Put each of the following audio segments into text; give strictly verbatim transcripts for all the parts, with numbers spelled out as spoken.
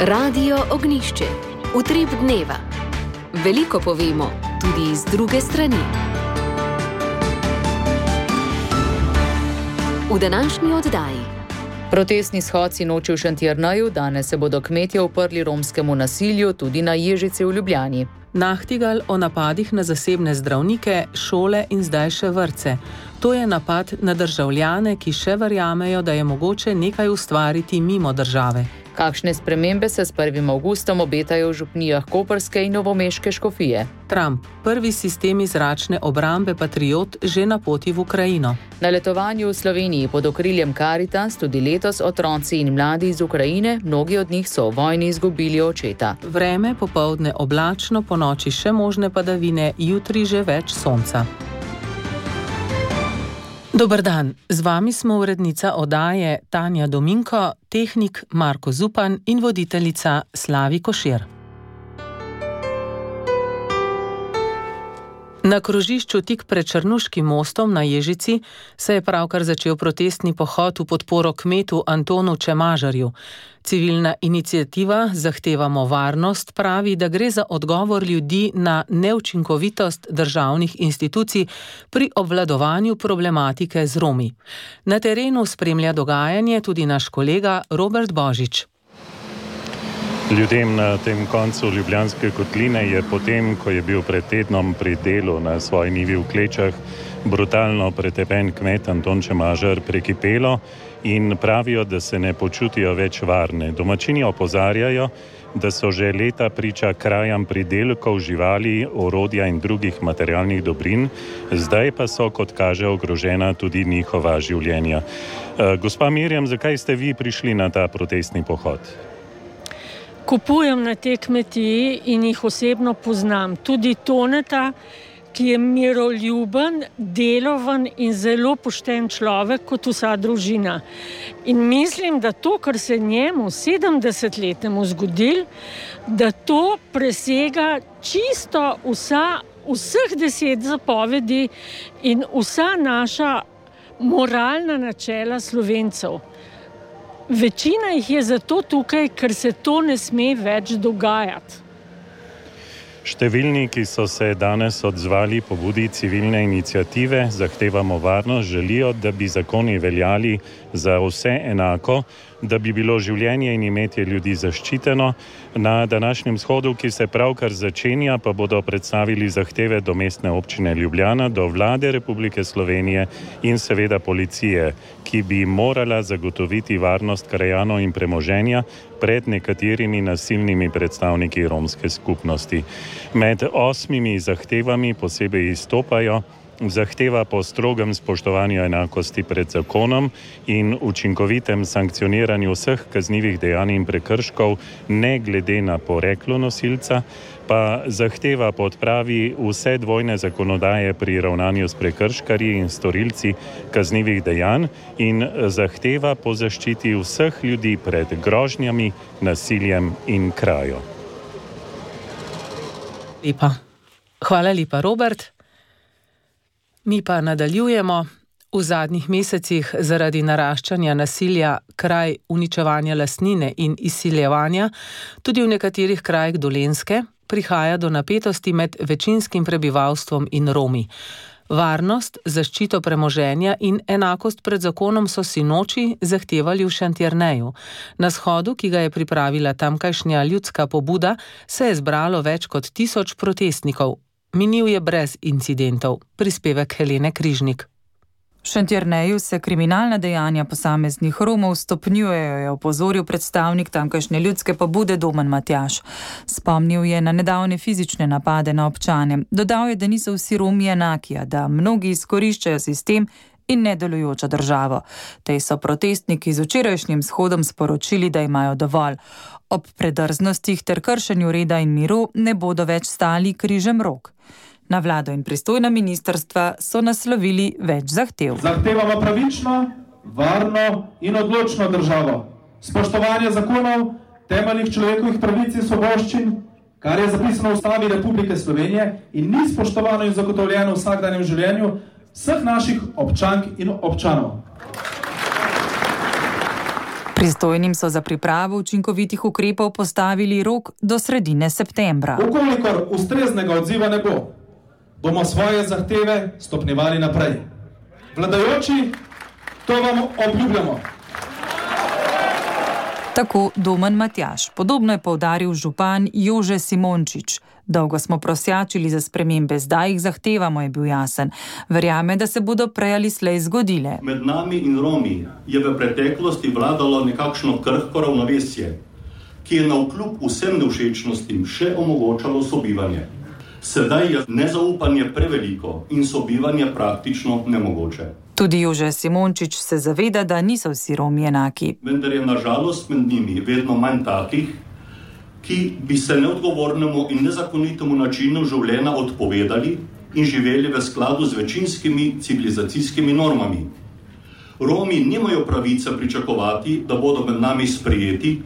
Radio Ognjišče. Utrip dneva. Veliko povemo, tudi iz druge strani. V današnji oddaji. Protestni shod sinoči v Šentjerneju, danes se bodo kmetje uprli romskemu nasilju tudi na Ježici v Ljubljani. Nachtigal o napadih na zasebne zdravnike, šole in zdaj še vrtce. To je napad na državljane, ki še verjamejo, da je mogoče nekaj ustvariti mimo države. Kakšne spremembe se s prvim avgustom obetajo v župnijah koprske in novomeške škofije? Trump, prvi sistemi zračne obrambe Patriot, že na poti v Ukrajino. Na letovanju v Sloveniji pod okriljem Caritas tudi letos otroci in mladi iz Ukrajine, mnogi od njih so v vojni izgubili očeta. Vreme popoldne oblačno, po noči še možne padavine, jutri že več sonca. Dober dan, z vami smo urednica oddaje Tanja Dominko, tehnik Marko Zupan in voditeljica Slavi Košir. Na krožišču tik pred Črnuškim mostom na Ježici se je pravkar začel protestni pohod v podporo kmetu Antonu Čemažarju. Civilna iniciativa Zahtevamo varnost pravi, da gre za odgovor ljudi na neučinkovitost državnih institucij pri obvladovanju problematike z Romi. Na terenu spremlja dogajanje tudi naš kolega Robert Božič. Ljudem na tem koncu Ljubljanske kotline je potem, ko je bil pred tednom pri delu na svoji njivi v Klečah, brutalno pretepen kmet Anton Čemažar prekipelo in pravijo, da se ne počutijo več varne. Domačini opozarjajo, da so že leta priča krajam pridelkov, živali, orodja in drugih materialnih dobrin, zdaj pa so, kot kaže, ogrožena tudi njihova življenja. Gospa Mirjam, zakaj ste vi prišli na ta protestni pohod? Kupujem na te kmetiji in jih osebno poznam. Tudi Toneta, ki je miroljuben, deloven in zelo pošten človek kot vsa družina. In mislim, da to, kar se njemu sedemdesetletnemu zgodil, da to presega čisto vsa, vseh deset zapovedi in vsa naša moralna načela Slovencev. Večina jih je zato tukaj, ker se to ne sme več dogajati. Številni, ki so se danes odzvali pobudi civilne iniciative Zahtevamo varnost, želijo, da bi zakoni veljali za vse enako, da bi bilo življenje in imetje ljudi zaščiteno. Na današnjem shodu, ki se pravkar začenja, pa bodo predstavili zahteve do Mestne občine Ljubljana, do Vlade Republike Slovenije in seveda policije, ki bi morala zagotoviti varnost krajanov in premoženja pred nekaterimi nasilnimi predstavniki romske skupnosti. Med osmimi zahtevami posebej izstopajo zahteva po strogem spoštovanju enakosti pred zakonom in učinkovitem sankcioniranju vseh kaznivih dejanj in prekrškov, ne glede na poreklo nosilca, pa zahteva po odpravi vse dvojne zakonodaje pri ravnanju s prekrškarji in storilci kaznivih dejanj in zahteva po zaščiti vseh ljudi pred grožnjami, nasiljem in krajo. Lepa. Hvala lepa, Robert. Mi pa nadaljujemo. V zadnjih mesecih zaradi naraščanja nasilja, kraj uničevanja lastnine in izsiljevanja, tudi v nekaterih krajih Dolenjske, prihaja do napetosti med večinskim prebivalstvom in Romi. Varnost, zaščito premoženja in enakost pred zakonom so sinoči zahtevali v Šentjerneju. Na shodu, ki ga je pripravila tamkajšnja ljudska pobuda, se je zbralo več kot tisoč protestnikov. Minil je brez incidentov. Prispevek Helene Križnik. V Šentjerneju se kriminalna dejanja posameznih Romov stopnjujejo, je opozoril predstavnik tamkajšnje ljudske pobude Domen Matjaž. Spomnil je na nedavne fizične napade na občane. Dodal je, da niso vsi Romi enaki, da mnogi izkoriščajo sistem in nedelujočo državo. Tej so protestniki z včerajšnjim shodom sporočili, da imajo dovolj. Ob predrznostih ter kršenju reda in miru ne bodo več stali križem rok. Na vlado in pristojna ministrstva so naslovili več zahtev. Zahtevamo pravično, varno in odločno državo. Spoštovanje zakonov, temeljnih človekovih pravic in svoboščin, kar je zapisano v Ustavi Republike Slovenije in ni spoštovano in zagotovljeno v vsakdanjem življenju vseh naših občank in občanov. Pristojnim so za pripravo učinkovitih ukrepov postavili rok do sredine septembra. Ukolikor ustreznega odziva ne bo, bomo svoje zahteve stopnjevali naprej. Vladajoči, to vam obljubljamo. Tako Domen Matjaž. Podobno je poudaril župan Jože Simončič. Dolgo smo prosjačili za spremembe, zdaj jih zahtevamo, je bil jasen. Verjame, da se bodo prej ali slej zgodile. Med nami in Romi je v preteklosti vladalo nekakšno krhko ravnovesje, ki je navkljub vsem nevšečnostim še omogočalo sobivanje. Sedaj je nezaupanje preveliko in sobivanje praktično nemogoče. Tudi Jože Simončič se zaveda, da niso vsi Romi enaki. Vendar je nažalost med njimi vedno manj takih, ki bi se neodgovornemu in nezakonitemu načinu življenja odpovedali in živeli v skladu z večinskimi civilizacijskimi normami. Romi nimajo pravice pričakovati, da bodo med nami sprejeti,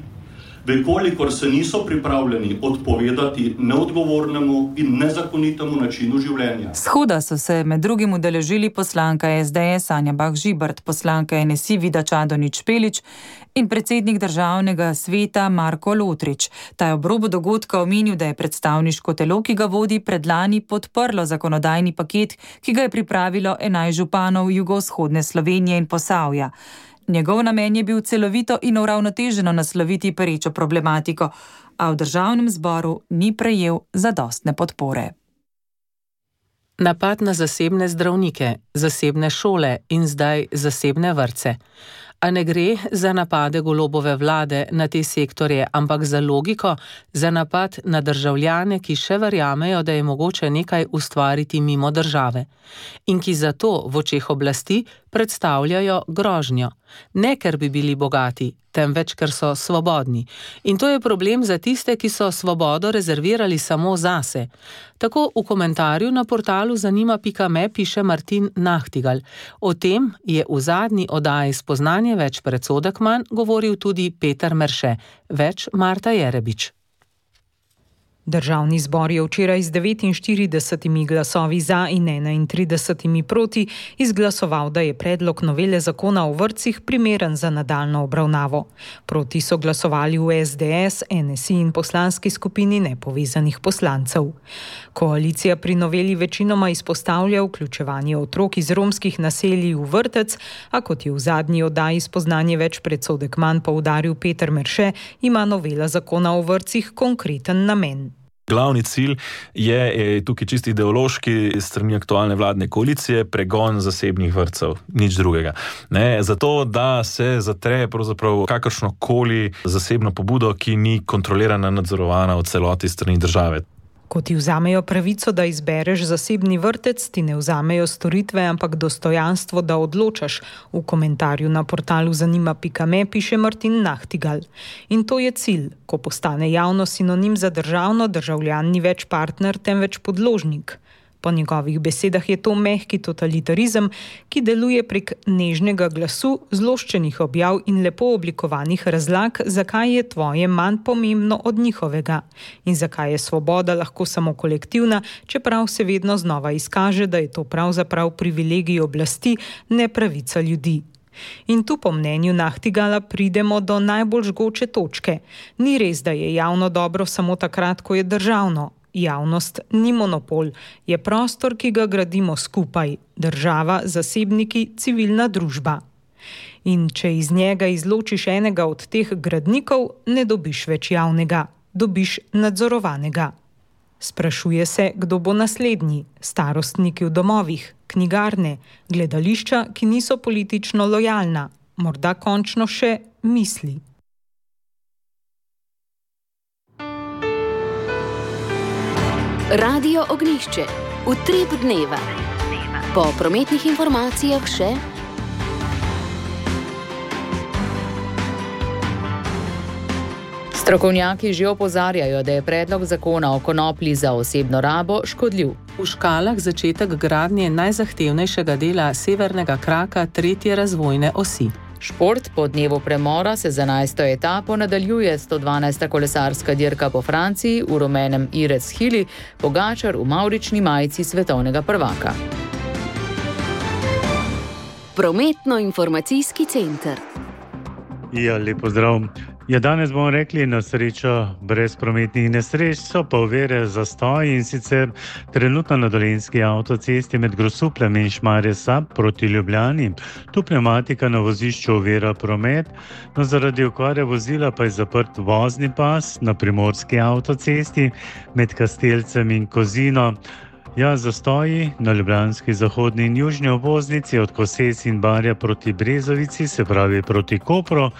vekolikor se niso pripravljeni odpovedati neodgovornemu in nezakonitemu načinu življenja. Shoda so se med drugim udeležili poslanka S D S Anja Bah Žibert, poslanka N S I Vida Čadonič Špelič in predsednik državnega sveta Marko Lotrič. Ta je ob robu dogodka omenil, da je predstavniško telo, ki ga vodi, predlani podprlo zakonodajni paket, ki ga je pripravilo enajst županov jugovzhodne Slovenije in Posavja. Njegov namen je bil celovito in uravnoteženo nasloviti perečo problematiko, a v državnem zboru ni prejel zadostne podpore. Napad na zasebne zdravnike, zasebne šole in zdaj zasebne vrtce. A ne gre za napade Golobove vlade na te sektorje, ampak za logiko, za napad na državljane, ki še verjamejo, da je mogoče nekaj ustvariti mimo države in ki zato v očeh oblasti predstavljajo grožnjo. Ne, ker bi bili bogati, temveč, ker so svobodni. In to je problem za tiste, ki so svobodo rezervirali samo zase. Tako v komentarju na portalu zanima pika me piše Martin Nahtigal. O tem je v zadnji oddaji Spoznanje več predsodek manj govoril tudi Peter Merše. Več Marta Jerebič. Državni zbor je včeraj z devetinštiridesetimi glasovi za in enaintridesetimi proti izglasoval, da je predlog novele zakona o vrtcih primeren za nadaljnjo obravnavo. Proti so glasovali v S D S, N S I in poslanski skupini nepovezanih poslancev. Koalicija pri noveli večinoma izpostavlja vključevanje otrok iz romskih naselij v vrtec, a kot je v zadnji oddaji Spoznanje več predsodek manj poudaril Peter Merše, ima novela zakona o vrtcih konkreten namen. Glavni cilj je, je tukaj čisti ideološki strani aktualne vladne koalicije, pregon zasebnih vrtcev, nič drugega. Ne, zato, da se zatre pravzaprav kakršnokoli zasebno pobudo, ki ni kontrolirana, nadzorovana v celoti strani države. Ko ti vzamejo pravico, da izbereš zasebni vrtec, ti ne vzamejo storitve, ampak dostojanstvo, da odločaš. V komentarju na portalu zanima pika me piše Martin Nahtigal. In to je cilj. Ko postane javno sinonim za državno, državljan ni več partner, temveč podložnik. Po njegovih besedah je to mehki totalitarizem, ki deluje prek nežnega glasu, zloščenih objav in lepo oblikovanih razlag, zakaj je tvoje manj pomembno od njihovega in zakaj je svoboda lahko samo kolektivna, čeprav se vedno znova izkaže, da je to pravzaprav privilegij oblasti, ne pravica ljudi. In tu po mnenju Nahtigala pridemo do najbolj žgoče točke. Ni res, da je javno dobro samo takrat, ko je državno. Javnost ni monopol, je prostor, ki ga gradimo skupaj, država, zasebniki, civilna družba. In če iz njega izločiš enega od teh gradnikov, ne dobiš več javnega, dobiš nadzorovanega. Sprašuje se, kdo bo naslednji, starostniki v domovih, knjigarne, gledališča, ki niso politično lojalna, morda končno še misli. Radio Ognjišče, utrip dneva. Po prometnih informacijah še... Strokovnjaki že opozarjajo, da je predlog zakona o konoplji za osebno rabo škodljiv. V Škalah začetek gradnje najzahtevnejšega dela severnega kraka tretje razvojne osi. Šport po dnevu premora se z enajsto etapo nadaljuje sto dvanajsta kolesarska dirka po Franciji v rumenem Irec Hili, Pogačar v mavrični majici svetovnega prvaka. Prometno-informacijski center. Ja, lep pozdrav. Ja, danes bomo rekli na srečo brez prometnih nesreč, so pa ovire zastoji, in sicer trenutno na Dolenjski avtocesti med Grosupljem in Šmarje Sab proti Ljubljani. Tu pnevmatika na vozišču ovira promet, no zaradi okvare vozila pa je zaprt vozni pas na Primorski avtocesti med Kastelcem in Kozino. Ja, zastoji na ljubljanski zahodni in južni obvoznici od Koses in Barja proti Brezovici, se pravi proti Kopru,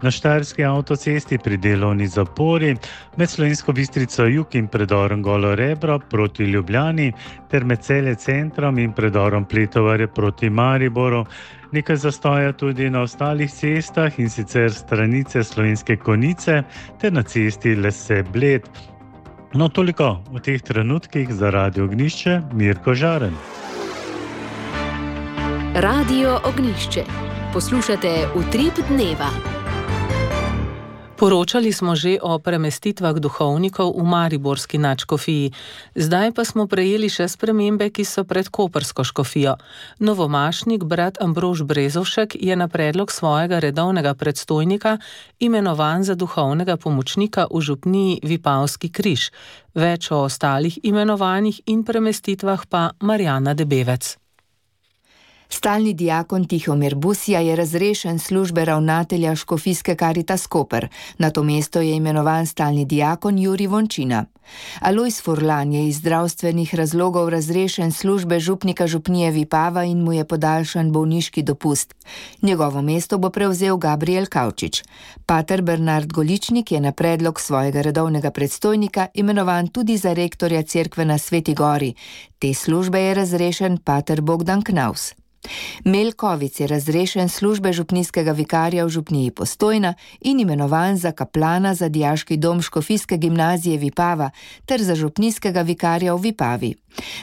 na Štajerski avtocesti pri delovni zapori, med Slovensko Bistrico jug in predorom Golo Rebro proti Ljubljani, ter med Celje centrom in predorom Pletovarje proti Mariboru. Nekaj zastoja tudi na ostalih cestah, in sicer stranice Slovenske Konjice ter na cesti Lese Bled. No, toliko v teh trenutkih za Radio Ognjišče, Mirko Žaren. Radio Ognjišče. Poslušate Utrip dneva. Poročali smo že o premestitvah duhovnikov v mariborski nadškofiji. Zdaj pa smo prejeli še spremembe, ki so pred koprsko škofijo. Novomašnik brat Ambrož Brezovšek je na predlog svojega redovnega predstojnika imenovan za duhovnega pomočnika v župniji Vipavski križ. Več o ostalih imenovanjih in premestitvah pa Marjana Debevec. Stalni diakon Tihomir Busija je razrešen službe ravnatelja škofijske Karitas Koper. Na to mesto je imenovan stalni diakon Jurij Vončina. Alojz Furlan je iz zdravstvenih razlogov razrešen službe župnika župnije Vipava in mu je podaljšan bolniški dopust. Njegovo mesto bo prevzel Gabriel Kavčič. Pater Bernard Goličnik je na predlog svojega redovnega predstojnika imenovan tudi za rektorja cerkve na Sveti Gori. Te službe je razrešen pater Bogdan Knaus. Melkovic je razrešen službe župnijskega vikarja v župniji Postojna in imenovan za kaplana za dijaški dom škofijske gimnazije Vipava ter za župnijskega vikarja v Vipavi.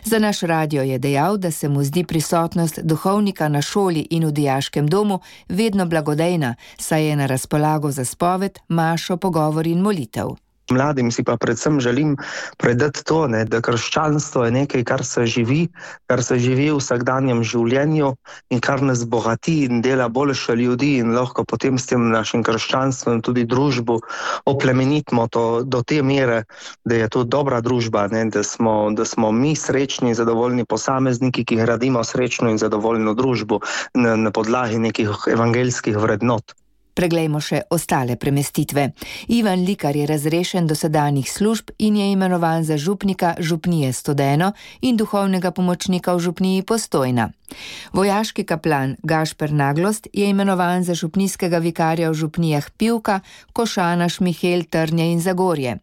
Za naš radio je dejal, da se mu zdi prisotnost duhovnika na šoli in v dijaškem domu vedno blagodejna, saj je na razpolago za spoved, mašo, pogovor in molitev. Mladim si pa predvsem želim predati to, ne, da krščanstvo je nekaj, kar se živi, kar se živi v vsakdanjem življenju in kar nas bogati in dela boljše ljudi in lahko potem s tem našim krščanstvom tudi družbo oplemenitimo to, do te mere, da je to dobra družba, ne, da smo, da smo mi srečni in zadovoljni posamezniki, ki gradimo srečno in zadovoljno družbo na, na podlagi nekih evangeljskih vrednot. Preglejmo še ostale premestitve. Ivan Likar je razrešen dosedanjih služb in je imenovan za župnika župnije Studeno in duhovnega pomočnika v župniji Postojna. Vojaški kaplan Gašper Naglost je imenovan za župnijskega vikarja v župnijah Pivka, Košana, Šmihel, Trnje in Zagorje.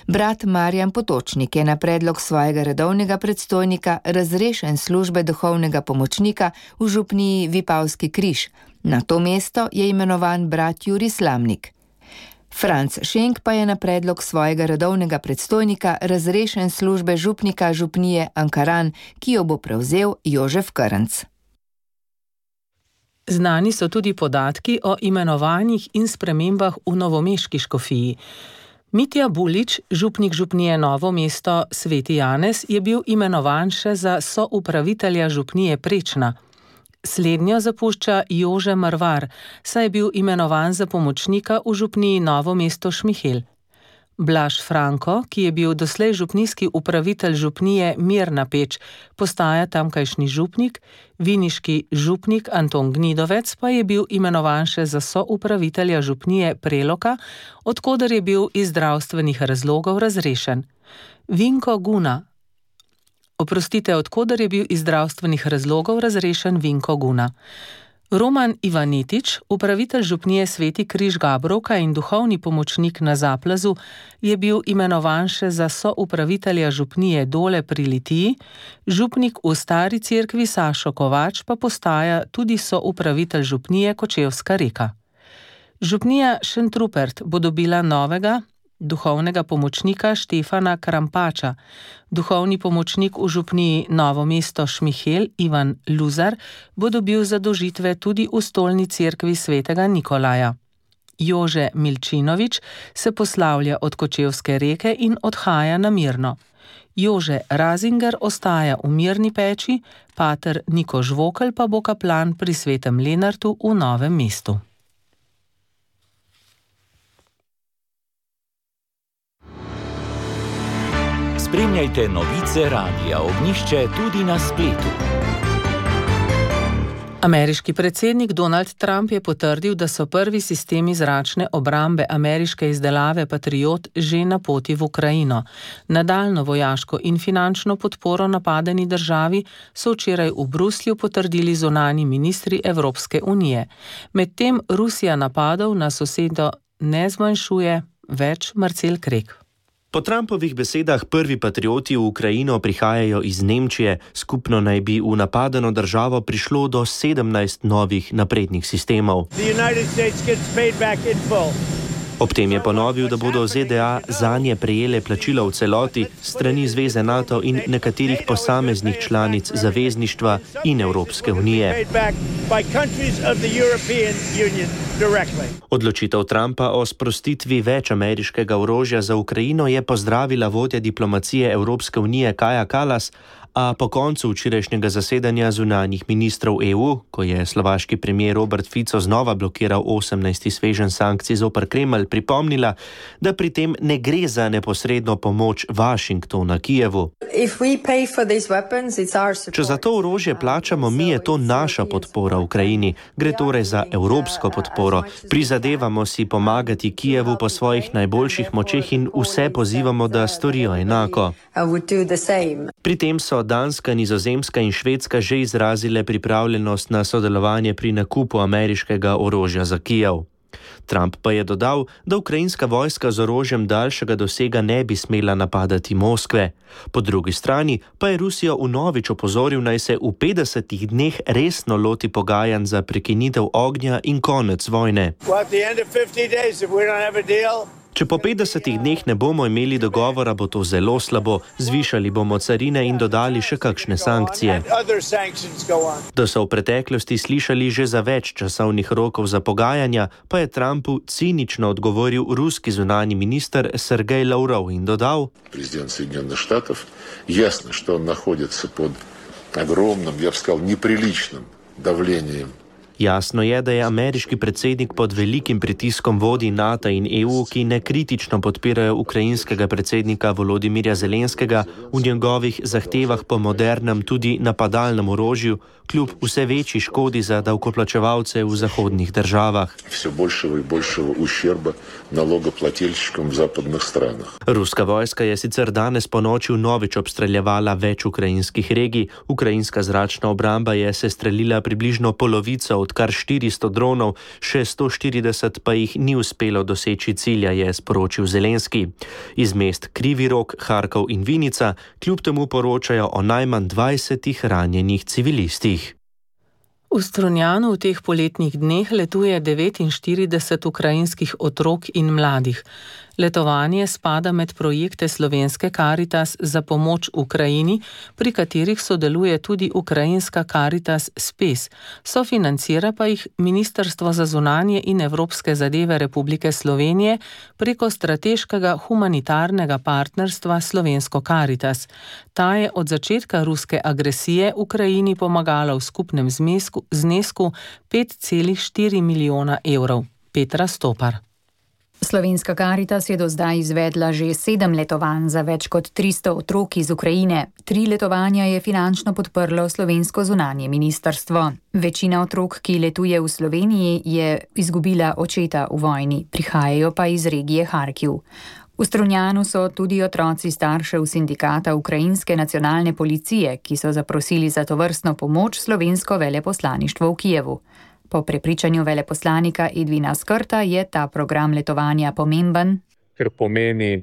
Brat Marjan Potočnik je na predlog svojega redovnega predstojnika razrešen službe duhovnega pomočnika v župniji Vipavski križ. Na to mesto je imenovan brat Jurij Slamnik. Franc Šenk pa je na predlog svojega redovnega predstojnika razrešen službe župnika župnije Ankaran, ki jo bo prevzel Jožef Krnc. Znani so tudi podatki o imenovanjih in spremembah v novomeški škofiji. Mitja Bulič, župnik župnije Novo mesto Sveti Janez, je bil imenovan še za soupravitelja župnije Prečna. Slednjo zapušča Jože Marvar, saj je bil imenovan za pomočnika v župniji Novo mesto Šmihel. Blaž Franko, ki je bil doslej župnijski upravitelj župnije Mirna Peč, postaja tamkajšnji župnik, viniški župnik Anton Gnidovec pa je bil imenovan še za soupravitelja župnije Preloka, odkoder je bil iz zdravstvenih razlogov razrešen. Vinko Guna. Oprostite, odkoder je bil iz zdravstvenih razlogov razrešen Vinko Guna. Roman Ivanetič, upravitelj župnije Sveti križ Gabrovka in duhovni pomočnik na Zaplazu, je bil imenovan še za soupravitelja župnije Dole pri Litiji, župnik v Stari cerkvi Sašo Kovač pa postaja tudi soupravitelj župnije Kočevska Reka. Župnija Šentrupert bo dobila novega duhovnega pomočnika Štefana Krampača. Duhovni pomočnik v župniji Novo mesto Šmihel Ivan Luzar bo dobil zadolžitve tudi v stolni cerkvi svetega Nikolaja. Jože Milčinovič se poslavlja od Kočevske Reke in odhaja na Mirno. Jože Razinger ostaja v Mirni Peči, pater Niko Žvokelj pa bo kaplan pri svetem Lenartu v Novem mestu. Spremljajte novice Radia Ognjišče tudi na spletu. Ameriški predsednik Donald Trump je potrdil, da so prvi sistemi zračne obrambe ameriške izdelave Patriot že na poti v Ukrajino. Nadaljnjo vojaško in finančno podporo napadeni državi so včeraj v Bruslju potrdili zunanji ministri Evropske unije. Medtem Rusija napadov na sosedo ne zmanjšuje, več Marcel Krek. Po Trumpovih besedah prvi patrioti v Ukrajino prihajajo iz Nemčije, skupno naj bi v napadeno državo prišlo do sedemnajst novih naprednih sistemov. Ob tem je ponovil, da bodo Z D A zanje prejele plačilo v celoti strani Zveze NATO in nekaterih posameznih članic zavezništva in Evropske unije. Odločitev Trumpa o sprostitvi več ameriškega orožja za Ukrajino je pozdravila vodja diplomacije Evropske unije Kaja Kallas, a po koncu včerajšnjega zasedanja zunanjih ministrov E U, ko je slovaški premijer Robert Fico znova blokiral osemnajsti sveženj sankcij zoper Kremelj, pripomnila, da pri tem ne gre za neposredno pomoč Washingtona Kijevu. Če za to orožje plačamo mi, je to naša podpora Ukrajini. Gre torej za evropsko podporo. Prizadevamo si pomagati Kijevu po svojih najboljših močeh in vse pozivamo, da storijo enako. Pri tem so Danska, Nizozemska in Švedska že izrazile pripravljenost na sodelovanje pri nakupu ameriškega orožja za Kijev. Trump pa je dodal, da ukrajinska vojska z orožjem daljšega dosega ne bi smela napadati Moskve. Po drugi strani pa je Rusijo vnovič opozoril, naj se v petdesetih dneh resno loti pogajanj za prekinitev ognja in konec vojne. Če po petdesetih dneh ne bomo imeli dogovora, bo to zelo slabo. Zvišali bomo carine in dodali še kakšne sankcije. Da so v preteklosti slišali že za več časovnih rokov za pogajanja, pa je Trumpu cinično odgovoril ruski zunanji minister Sergej Lavrov in dodal: Prezident Соединенных Штатов, jasno, что он находится под огромным, я бы сказал, неприличным давлением. Jasno je, da je ameriški predsednik pod velikim pritiskom vodij NATO in E U, ki nekritično podpirajo ukrajinskega predsednika Volodimirja Zelenskega v njegovih zahtevah po modernem, tudi napadalnem orožju, kljub vse večji škodi za davkoplačevalce v zahodnih državah. Vse boljšega in boljšega ušerba nalogoplačilčikom v zapadnih stranah. Ruska vojska je sicer danes ponoči vnovič obstreljevala več ukrajinskih regij. Ukrajinska zračna obramba je sestrelila približno polovico od kar štiristo dronov, še sto štirideset pa jih ni uspelo doseči cilja, je sporočil Zelenski. Iz mest Krivi Rog, Harkov in Vinica kljub temu poročajo o najmanj dvajsetih ranjenih civilistih. V Strunjanu v teh poletnih dneh letuje devetinštirideset ukrajinskih otrok in mladih. Letovanje spada med projekte Slovenske Karitas za pomoč Ukrajini, pri katerih sodeluje tudi ukrajinska Karitas Spes. Sofinancira pa jih Ministrstvo za zunanje in evropske zadeve Republike Slovenije preko strateškega humanitarnega partnerstva Slovensko Karitas. Ta je od začetka ruske agresije Ukrajini pomagala v skupnem znesku, znesku pet celih štiri milijona evrov. Petra Stopar. Slovenska Karitas je do zdaj izvedla že sedem letovanj za več kot tristo otrok iz Ukrajine. Tri letovanja je finančno podprlo slovensko zunanje ministrstvo. Večina otrok, ki letuje v Sloveniji, je izgubila očeta v vojni, prihajajo pa iz regije Harkiv. V Strunjanu so tudi otroci staršev sindikata Ukrajinske nacionalne policije, ki so zaprosili za tovrstno pomoč slovensko veleposlaništvo v Kijevu. Po prepričanju veleposlanika Edvina Skrta je ta program letovanja pomemben, ker pomeni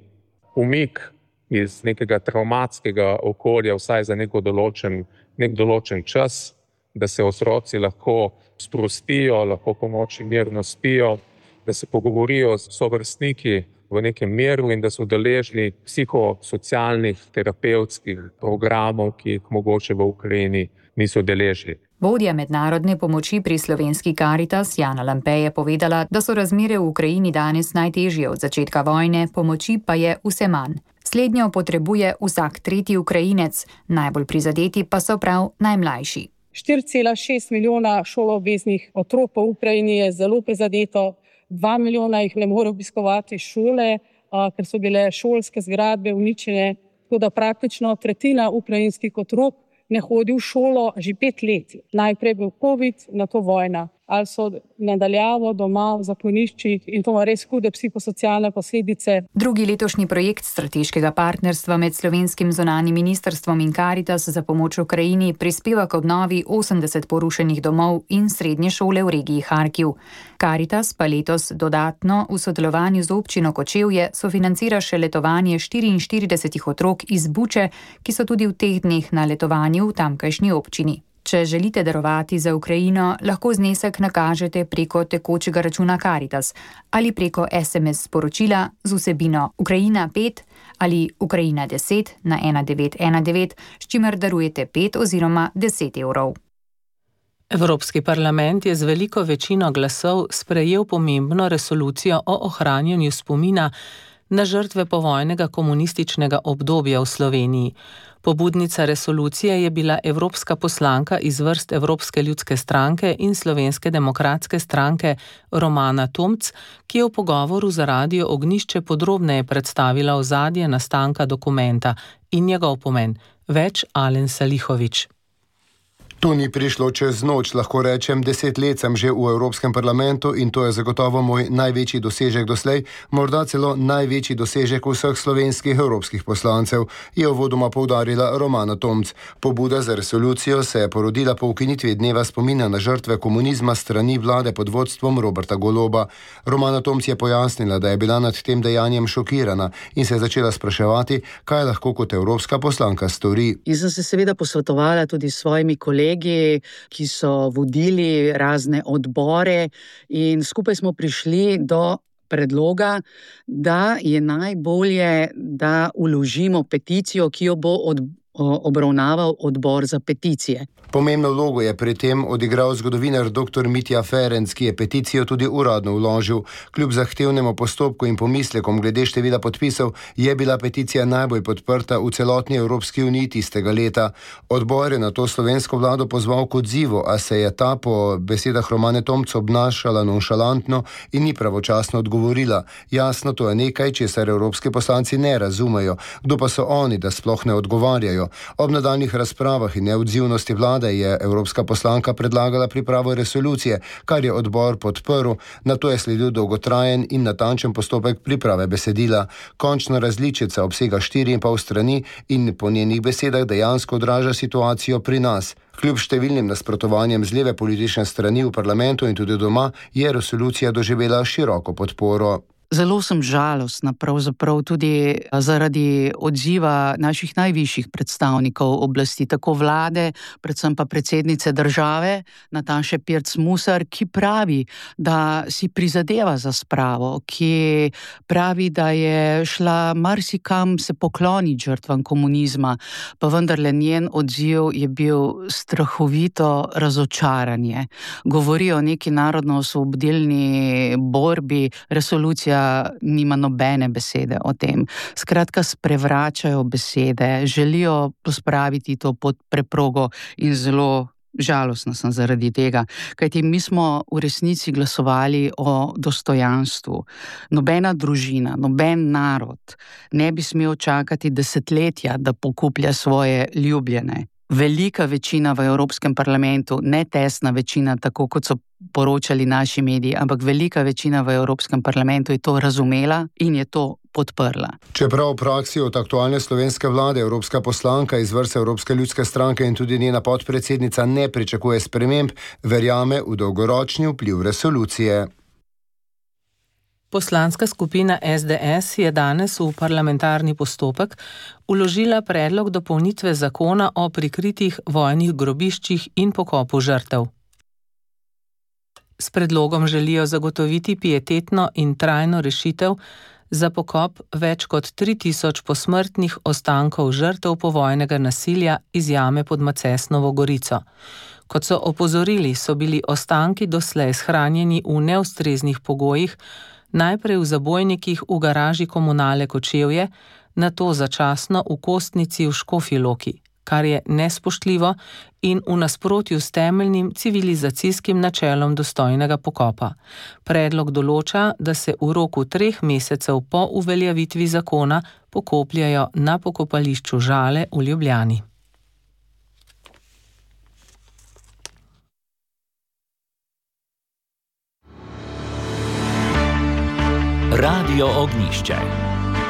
umik iz nekega travmatskega okolja vsaj za neko določen, nek določen čas, da se otroci lahko sprostijo, lahko po noči mirno spijo, da se pogovorijo s sovrstniki v nekem miru in da so deležni psihosocialnih, terapevtskih programov, ki jih mogoče v Ukrajini niso deležni. Vodja mednarodne pomoči pri Slovenski Karitas Jana Lampe je povedala, da so razmere v Ukrajini danes najtežje od začetka vojne, pomoči pa je vse manj. Slednjo potrebuje vsak tretji Ukrajinec, najbolj prizadeti pa so prav najmlajši. štiri cela šest milijona šoloobveznih otrok po Ukrajini je zelo prizadeto, dva milijona jih ne more obiskovati šole, ker so bile šolske zgradbe uničene tako da praktično tretjina ukrajinskih otrok ne hodi v šolo že pet let. Najprej bil COVID, nato vojna. Ali so nadaljavo doma v zakloniščih in to ima res hude psihosocialne posledice. Drugi letošnji projekt strateškega partnerstva med slovenskim zunanjim ministrstvom in Karitas za pomoč Ukrajini prispeva k obnovi osemdeset porušenih domov in srednje šole v regiji Harkiv. Karitas pa letos dodatno v sodelovanju z občino Kočevje sofinancira še letovanje štiriinštirideset otrok iz Buče, ki so tudi v teh dneh na letovanju v tamkajšnji občini. Če želite darovati za Ukrajino, lahko znesek nakažete preko tekočega računa Karitas ali preko es em es sporočila z vsebino Ukrajina pet ali Ukrajina deset na ena devet ena devet, s čimer darujete pet oziroma deset evrov. Evropski parlament je z veliko večino glasov sprejel pomembno resolucijo o ohranjanju spomina na žrtve povojnega komunističnega obdobja v Sloveniji. Pobudnica resolucije je bila evropska poslanka iz vrst Evropske ljudske stranke in Slovenske demokratske stranke Romana Tomc, ki je v pogovoru za Radio Ognjišče podrobneje predstavila ozadje nastanka dokumenta in njegov pomen. Več Alen Salihović. To ni prišlo čez noč, lahko rečem, deset let sem že v Evropskem parlamentu in to je zagotovo moj največji dosežek doslej, morda celo največji dosežek vseh slovenskih evropskih poslancev, je uvodoma poudarila Romana Tomc. Pobuda za resolucijo se je porodila po ukinitvi dneva spomina na žrtve komunizma strani vlade pod vodstvom Roberta Goloba. Romana Tomc je pojasnila, da je bila nad tem dejanjem šokirana in se je začela spraševati, kaj lahko kot evropska poslanka stori. In sem se seveda posvetovala tudi s svojimi kolegi, ki so vodili razne odbore in skupaj smo prišli do predloga, da je najbolje, da vložimo peticijo, ki jo bo od, obravnaval odbor za peticije. Pomembno vlogo je pri tem odigral zgodovinar doktor Mitja Ferenc, ki je peticijo tudi uradno vložil. Kljub zahtevnemu postopku in pomislekom glede števila podpisov je bila peticija najbolj podprta v celotni Evropski uniji tistega leta. Odbor je na to slovensko vlado pozval k odzivu, a se je ta po besedah Romane Tomc obnašala nonšalantno in ni pravočasno odgovorila. Jasno, to je nekaj, česar evropski poslanci ne razumejo. Kdo pa so oni, da sploh ne odgovarjajo? Ob nadaljnjih razpravah in neodzivnosti vlade je evropska poslanka predlagala pripravo resolucije, kar je odbor podprl, nato je sledil dolgotrajen in natančen postopek priprave besedila. Končna različica obsega štiri in pol strani in po njenih besedah dejansko odraža situacijo pri nas. Kljub številnim nasprotovanjem z leve politične strani v parlamentu in tudi doma je resolucija doživela široko podporo. Zelo sem žalostna, pravzaprav tudi zaradi odziva naših najvišjih predstavnikov oblasti, tako vlade, predvsem pa predsednice države, Nataše Pirc Musar, ki pravi, da si prizadeva za spravo, ki pravi, da je šla marsikam se pokloniti žrtvam komunizma, pa vendarle njen odziv je bil strahovito razočaranje. Govori o neki narodno-osvobodilni borbi, resolucija nima nobene besede o tem. Skratka, sprevračajo besede, želijo pospraviti to pod preprogo in zelo žalostna sem zaradi tega, kajti mi smo v resnici glasovali o dostojanstvu. Nobena družina, noben narod ne bi smel čakati desetletja, da pokuplja svoje ljubljene. Velika večina v Evropskem parlamentu, ne tesna večina, tako kot so poročali naši mediji, ampak velika večina v Evropskem parlamentu je to razumela in je to podprla. Čeprav v praksi od aktualne slovenske vlade evropska poslanka iz vrste Evropske ljudske stranke in tudi njena podpredsednica ne pričakuje sprememb, verjame v dolgoročni vpliv resolucije. Poslanska skupina es de es je danes v parlamentarni postopek vložila predlog dopolnitve zakona o prikritih vojnih grobiščih in pokopu žrtev. S predlogom želijo zagotoviti pietetno in trajno rešitev za pokop več kot tri tisoč posmrtnih ostankov žrtev povojnega nasilja iz jame pod Macesnovo Gorico. Kot so opozorili, so bili ostanki doslej shranjeni v neustreznih pogojih, najprej v zabojnikih v garaži komunale Kočevje, nato začasno v kostnici v Škofji Loki. kar je nespoštljivo in v nasprotju s temeljnim civilizacijskim načelom dostojnega pokopa. Predlog določa, da se v roku treh mesecev po uveljavitvi zakona pokopljajo na pokopališču Žale v Ljubljani. Radio Ognišče.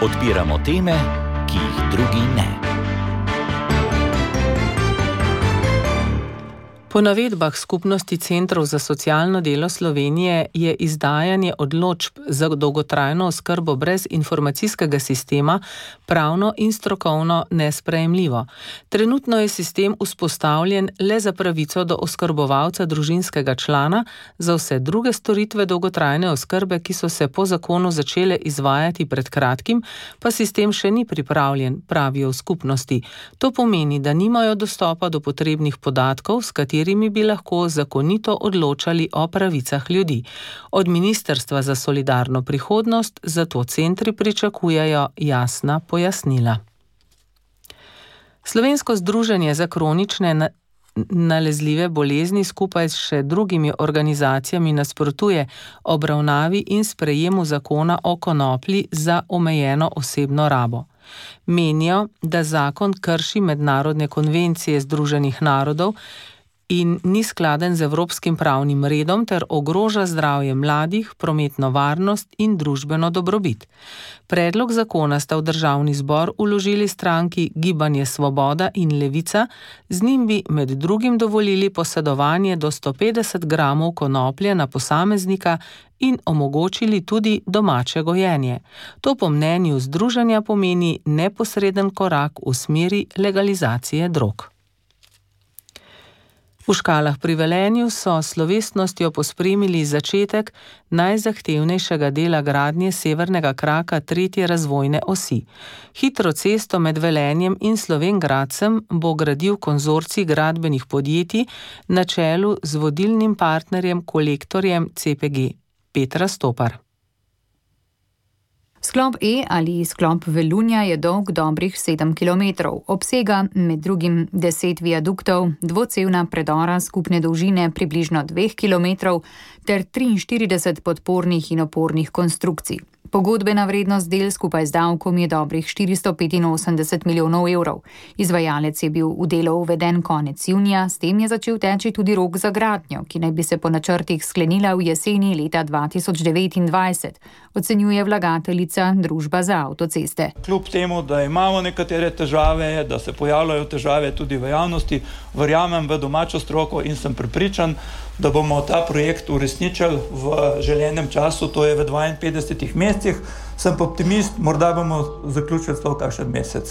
Odpiramo teme, ki jih drugi ne. Po navedbah Skupnosti centrov za socialno delo Slovenije je izdajanje odločb za dolgotrajno oskrbo brez informacijskega sistema pravno in strokovno nesprejemljivo. Trenutno je sistem vzpostavljen le za pravico do oskrbovalca družinskega člana, za vse druge storitve dolgotrajne oskrbe, ki so se po zakonu začele izvajati pred kratkim, pa sistem še ni pripravljen, pravijo v skupnosti. To pomeni, da nimajo dostopa do potrebnih podatkov, s katerimi bi lahko zakonito odločali o pravicah ljudi. Od Ministrstva za solidarno prihodnost zato centri pričakujejo jasna pojasnila. Slovensko združenje za kronične na nalezljive bolezni skupaj s še drugimi organizacijami nasprotuje obravnavi in sprejemu zakona o konoplji za omejeno osebno rabo. Menijo, da zakon krši mednarodne konvencije Združenih narodov in ni skladen z evropskim pravnim redom ter ogroža zdravje mladih, prometno varnost in družbeno dobrobit. Predlog zakona sta v državni zbor vložili stranki Gibanje Svoboda in Levica, z njim bi med drugim dovolili posedovanje do sto petdeset gramov konoplje na posameznika in omogočili tudi domače gojenje. To po mnenju združenja pomeni neposreden korak v smeri legalizacije drog. V Škalah pri Velenju so slovesnostjo pospremili začetek najzahtevnejšega dela gradnje severnega kraka tretje razvojne osi. Hitro cesto med Velenjem in Slovenj Gradcem bo gradil konzorcij gradbenih podjetij na čelu z vodilnim partnerjem Kolektorjem C P G. Petra Stopar. Sklop E ali sklop Velunja je dolg dobrih sedem kilometrov. Obsega med drugim deset viaduktov, dvocevna predora skupne dolžine približno dveh kilometrov ter triinštirideset podpornih in opornih konstrukcij. Pogodbena vrednost del skupaj z davkom je dobrih štiristo petinosemdeset milijonov evrov. Izvajalec je bil v delo uveden konec junija, s tem je začel teči tudi rok za gradnjo, ki naj bi se po načrtih sklenila v jeseni leta dva tisoč devetindvajset, ocenjuje vlagateljica Družba za avtoceste. Kljub temu, da imamo nekatere težave, da se pojavljajo težave tudi v javnosti, verjamem v domačo stroko in sem prepričan, da bomo ta projekt uresničili v želenem času, to je v dvainpetdesetih mesecih. Sem optimist, morda bomo zaključili celo kakšen mesec,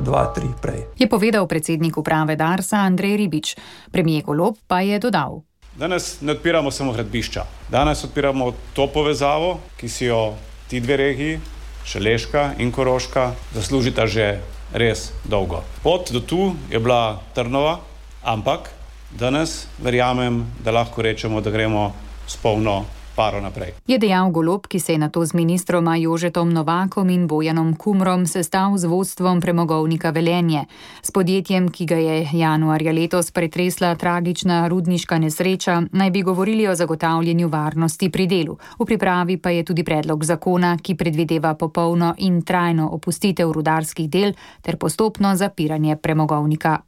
dva, tri prej. Je povedal predsednik uprave Darsa Andrej Ribič. Premijer Golob pa je dodal. Danes ne odpiramo samo gradbišča. Danes odpiramo to povezavo, ki si jo ti dve regiji, Šaleška in Koroška, zaslužita že res dolgo. Pot do tu je bila trnova, ampak danes verjamem, da lahko rečemo, da gremo s polno paro naprej. Je dejal Golob, ki se je nato z ministroma Jožetom Novakom in Bojanom Kumrom sestal z vodstvom premogovnika Velenje. S podjetjem, ki ga je januarja letos pretresla tragična rudniška nesreča, naj bi govorili o zagotavljanju varnosti pri delu. V pripravi pa je tudi predlog zakona, ki predvideva popolno in trajno opustitev rudarskih del ter postopno zapiranje premogovnika.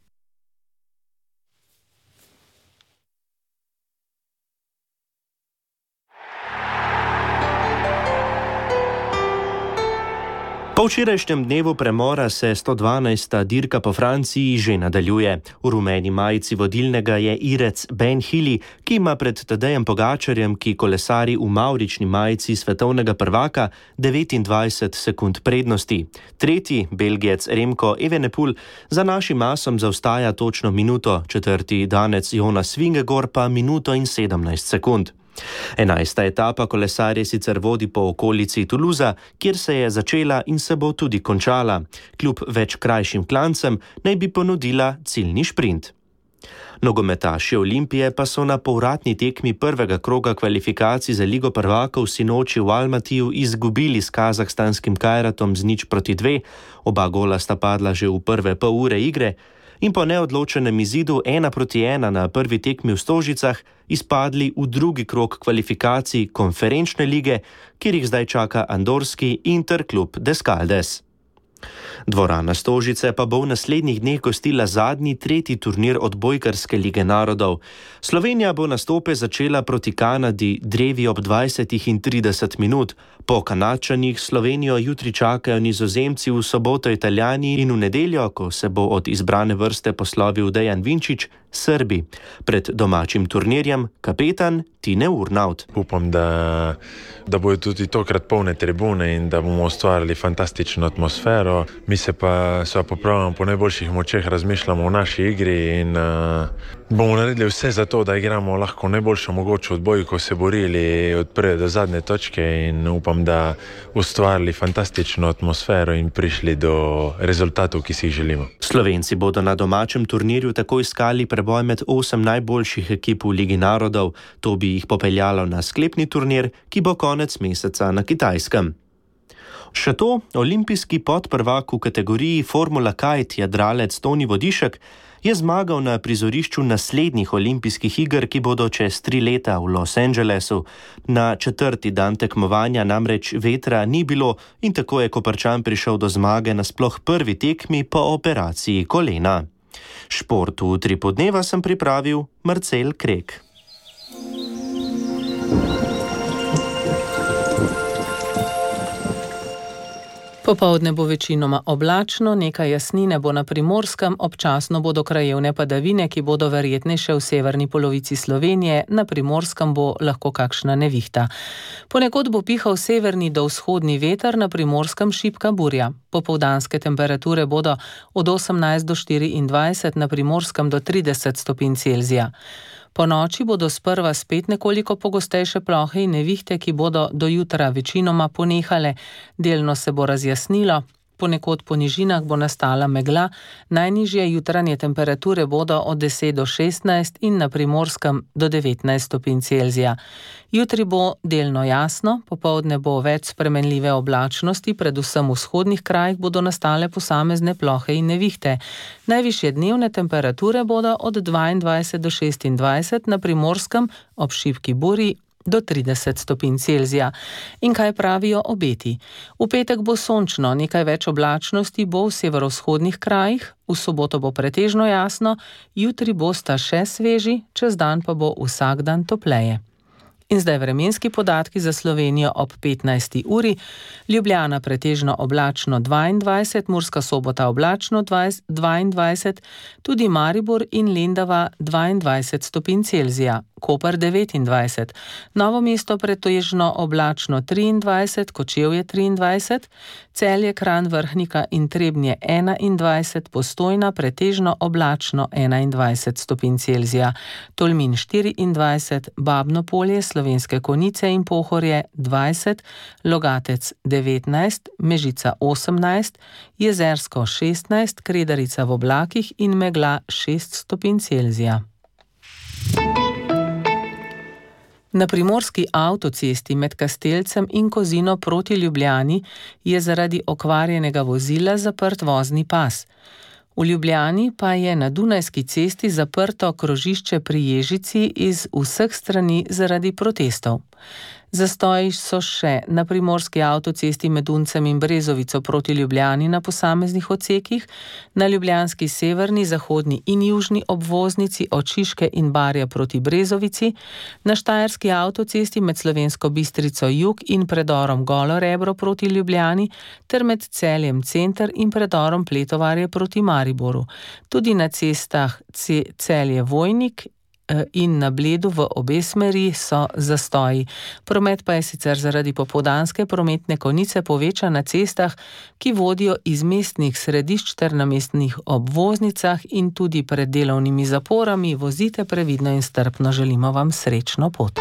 Po včerajšnjem dnevu premora se sto dvanajsta dirka po Franciji že nadaljuje. V rumeni majici vodilnega je Irec Ben Hili, ki ima pred Tadejem Pogačarjem, ki kolesari v mavrični majici svetovnega prvaka, devetindvajset sekund prednosti. Tretji, Belgijec Remko Evenepoel, za našim asom zaostaja točno minuto, četrti Danec Jonas Vingegaard pa minuto in sedemnajst sekund. Enajsta etapa kolesarje sicer vodi po okolici Toulousa, kjer se je začela in se bo tudi končala. Kljub več krajšim klancem naj bi ponudila ciljni šprint. Nogometaši Olimpije pa so na povratni tekmi prvega kroga kvalifikacij za Ligo prvakov sinoči v Almatiju izgubili s kazahstanskim Kajratom z nič proti dve, oba gola sta padla že v prve pol ure igre. in po neodločenem izidu ena proti ena na prvi tekmi v Stožicah izpadli v drugi krog kvalifikacij konferenčne lige, kjer jih zdaj čaka andorski Interklub Descaldes. Dvorana Stožice pa bo v naslednjih dneh gostila zadnji, tretji turnir odbojkarske lige narodov. Slovenija bo nastope začela proti Kanadi drevi ob dvajsetih in trideset minut. Po Kanadčanih Slovenijo jutri čakajo Nizozemci, v soboto Italijani in v nedeljo, ko se bo od izbrane vrste poslovil Dejan Vinčič, Srbi. Pred domačim turnirjem kapetan Tine Urnaut. Upam, da, da bojo tudi tokrat polne tribune in da bomo ustvarili fantastično atmosfero. Mi se pa, se pa popravljamo po najboljših močeh, razmišljamo o naši igri in uh, bomo naredili vse za to, da igramo lahko najboljšo mogočo odbojko, se borili od prve do zadnje točke in upam, da ustvarili fantastično atmosfero in prišli do rezultatov, ki si jih želimo. Slovenci bodo na domačem turnirju tako iskali preboj med osem najboljših ekip v Ligi narodov. To bi jih popeljalo na sklepni turnir, ki bo konec meseca na Kitajskem. Še to, olimpijski podprvak v kategoriji Formula Kite jadralec Toni Vodišek je zmagal na prizorišču naslednjih olimpijskih iger, ki bodo čez tri leta v Los Angelesu. Na četrti dan tekmovanja namreč vetra ni bilo in tako je Koprčan prišel do zmage na sploh prvi tekmi po operaciji kolena. Šport v Utripu dneva sem pripravil Marcel Krek. Popoldne bo večinoma oblačno, nekaj jasnine bo na Primorskem, občasno bodo krajevne padavine, ki bodo verjetnejše v severni polovici Slovenije, na Primorskem bo lahko kakšna nevihta. Ponekod bo pihal severni do vzhodni veter, na Primorskem šibka burja. Popoldanske temperature bodo od osemnajst do štiriindvajset, na Primorskem do trideset stopinj Celzija. Po noči bodo sprva spet nekoliko pogostejše plohe in nevihte, ki bodo do jutra večinoma ponehale. Delno se bo razjasnilo, ponekod po nižinah bo nastala megla, najnižje jutranje temperature bodo od deset do šestnajst in na Primorskem do devetnajst stopinj Celzija. Jutri bo delno jasno, popoldne bo več spremenljive oblačnosti, predvsem v vzhodnih krajih bodo nastale posamezne plohe in nevihte. Najvišje dnevne temperature bodo od dvaindvajset do šestindvajset, na Primorskem ob šibki burji do trideset stopinj Celzija. In kaj pravijo obeti? V petek bo sončno, nekaj več oblačnosti bo v severovzhodnih krajih, v soboto bo pretežno jasno, jutri bosta še sveži, čez dan pa bo vsak dan topleje. In zdaj vremenski podatki za Slovenijo ob petnajsti uri. Ljubljana pretežno oblačno dvaindvajset, Murska Sobota oblačno dvaindvajset, tudi Maribor in Lendava dvaindvajset stopinj Celzija, Koper devetindvajset, Novo mesto pretežno oblačno triindvajset, Kočevje triindvajset, Celje, Kranj, Vrhnika in Trebnje enaindvajset, Postojna pretežno oblačno enaindvajset stopinj Celzija, Tolmin štiriindvajset, Babno Polje, Slovenske Konjice in Pohorje dvajset, Logatec devetnajst, Mežica osemnajst, Jezersko šestnajst, Kredarica v oblakih in megla šest stopinj Celzija. Na primorski avtocesti med Kastelcem in Kozino proti Ljubljani je zaradi okvarjenega vozila zaprt vozni pas. V Ljubljani pa je na Dunajski cesti zaprto krožišče pri Ježici iz vseh strani zaradi protestov. Zastoji so še na primorski avtocesti med Uncem in Brezovico proti Ljubljani na posameznih odsekih, na ljubljanski severni, zahodni in južni obvoznici od Šiške in Barja proti Brezovici, na štajerski avtocesti med Slovensko Bistrico jug in predorom Golo Rebro proti Ljubljani ter med Celjem center in predorom Pletovarje proti Mariboru. Tudi na cestah Celje Vojnik in na Bledu v obe smeri so zastoji. Promet pa je sicer zaradi popoldanske prometne konice povečan na cestah, ki vodijo iz mestnih središč ter na mestnih obvoznicah in tudi pred delovnimi zaporami. Vozite previdno in strpno, želimo vam srečno pot.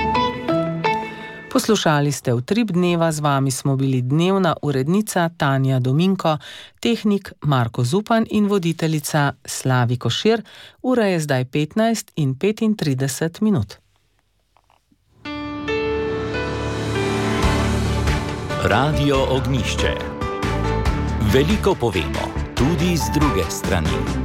Poslušali ste Utrip dneva, z vami smo bili dnevna urednica Tanja Dominko, tehnik Marko Zupan in voditeljica Slavi Košir. Ura je zdaj petnajst in petintrideset minut. Radio Ognjišče. Veliko povemo, tudi z druge strani.